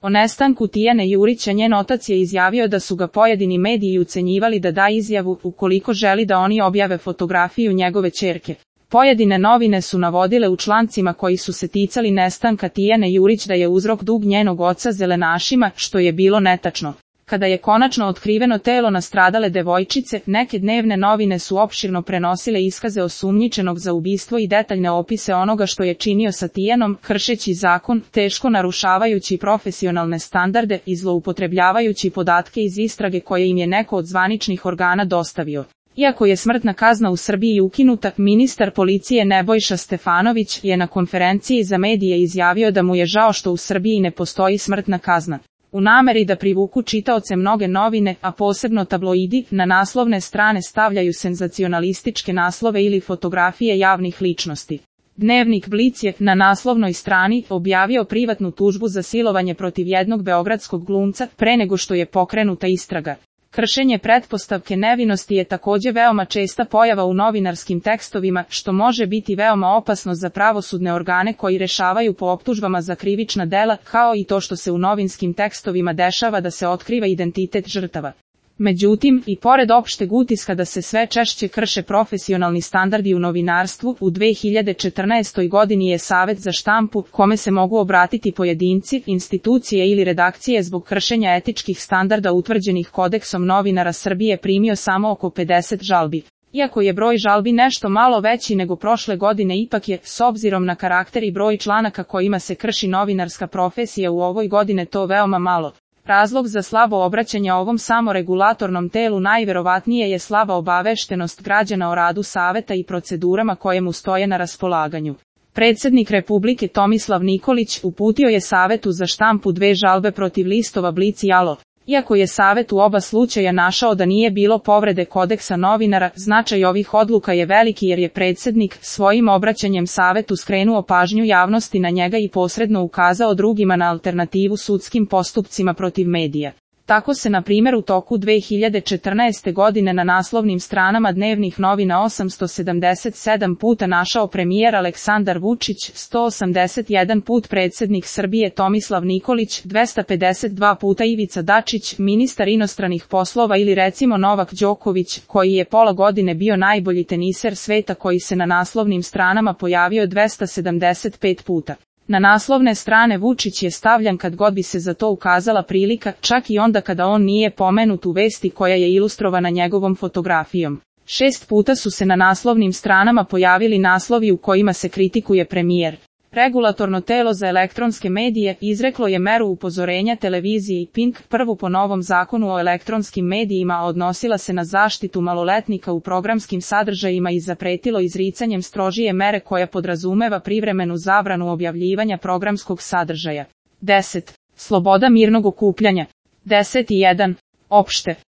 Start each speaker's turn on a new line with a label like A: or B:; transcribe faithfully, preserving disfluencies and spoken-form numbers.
A: O nestanku Tijane Jurića njen otac je izjavio da su ga pojedini mediji ucenjivali da da izjavu ukoliko želi da oni objave fotografiju njegove ćerke. Pojedine novine su navodile u člancima koji su se ticali nestanka Tijane Jurić da je uzrok dug njenog oca zelenašima, što je bilo netačno. Kada je konačno otkriveno telo nastradale devojčice, neke dnevne novine su opširno prenosile iskaze osumnjičenog za ubistvo i detaljne opise onoga što je činio sa Tijanom, kršeći zakon, teško narušavajući profesionalne standarde i zloupotrebljavajući podatke iz istrage koje im je neko od zvaničnih organa dostavio. Iako je smrtna kazna u Srbiji ukinuta, ministar policije Nebojša Stefanović je na konferenciji za medije izjavio da mu je žao što u Srbiji ne postoji smrtna kazna. U nameri da privuku čitaoce mnoge novine, a posebno tabloidi, na naslovne strane stavljaju senzacionalističke naslove ili fotografije javnih ličnosti. Dnevnik Blic je na naslovnoj strani objavio privatnu tužbu za silovanje protiv jednog beogradskog glumca pre nego što je pokrenuta istraga. Kršenje pretpostavke nevinosti je takođe veoma česta pojava u novinarskim tekstovima, što može biti veoma opasno za pravosudne organe koji rešavaju po optužbama za krivična dela, kao i to što se u novinskim tekstovima dešava da se otkriva identitet žrtava. Međutim, i pored opšteg utiska da se sve češće krše profesionalni standardi u novinarstvu, u dve hiljade četrnaestoj godini je Savet za štampu, kome se mogu obratiti pojedinci, institucije ili redakcije zbog kršenja etičkih standarda utvrđenih Kodeksom novinara Srbije, primio samo oko pedeset žalbi. Iako je broj žalbi nešto malo veći nego prošle godine, ipak je, s obzirom na karakter i broj članaka kojima se krši novinarska profesija u ovoj godine, to veoma malo. Razlog za slabo obraćanje ovom samoregulatornom telu najverovatnije je slaba obaveštenost građana o radu Saveta i procedurama koje mu stoje na raspolaganju. Predsednik Republike Tomislav Nikolić uputio je Savetu za štampu dve žalbe protiv listova Blic i Alo. Iako je Savet u oba slučaja našao da nije bilo povrede Kodeksa novinara, značaj ovih odluka je veliki jer je predsednik svojim obraćanjem Savetu skrenuo pažnju javnosti na njega i posredno ukazao drugima na alternativu sudskim postupcima protiv medija. Tako se na primjer u toku dve hiljade četrnaeste. godine na naslovnim stranama dnevnih novina osamsto sedamdeset sedam puta našao premijer Aleksandar Vučić, sto osamdeset jedan put predsednik Srbije Tomislav Nikolić, dvesta pedeset dva puta Ivica Dačić, ministar inostranih poslova ili recimo Novak Đoković, koji je pola godine bio najbolji teniser sveta, koji se na naslovnim stranama pojavio dvesta sedamdeset pet puta. Na naslovne strane Vučić je stavljan kad god bi se za to ukazala prilika, čak i onda kada on nije pomenut u vesti koja je ilustrovana njegovom fotografijom. Šest puta su se na naslovnim stranama pojavili naslovi u kojima se kritikuje premijer. Regulatorno telo za elektronske medije izreklo je meru upozorenja televiziji Pink, prvu po novom zakonu o elektronskim medijima, a odnosila se na zaštitu maloletnika u programskim sadržajima i zapretilo izricanjem strožije mere koja podrazumeva privremenu zabranu objavljivanja programskog sadržaja. deset. Sloboda mirnog okupljanja. deset i jedan. Opšte.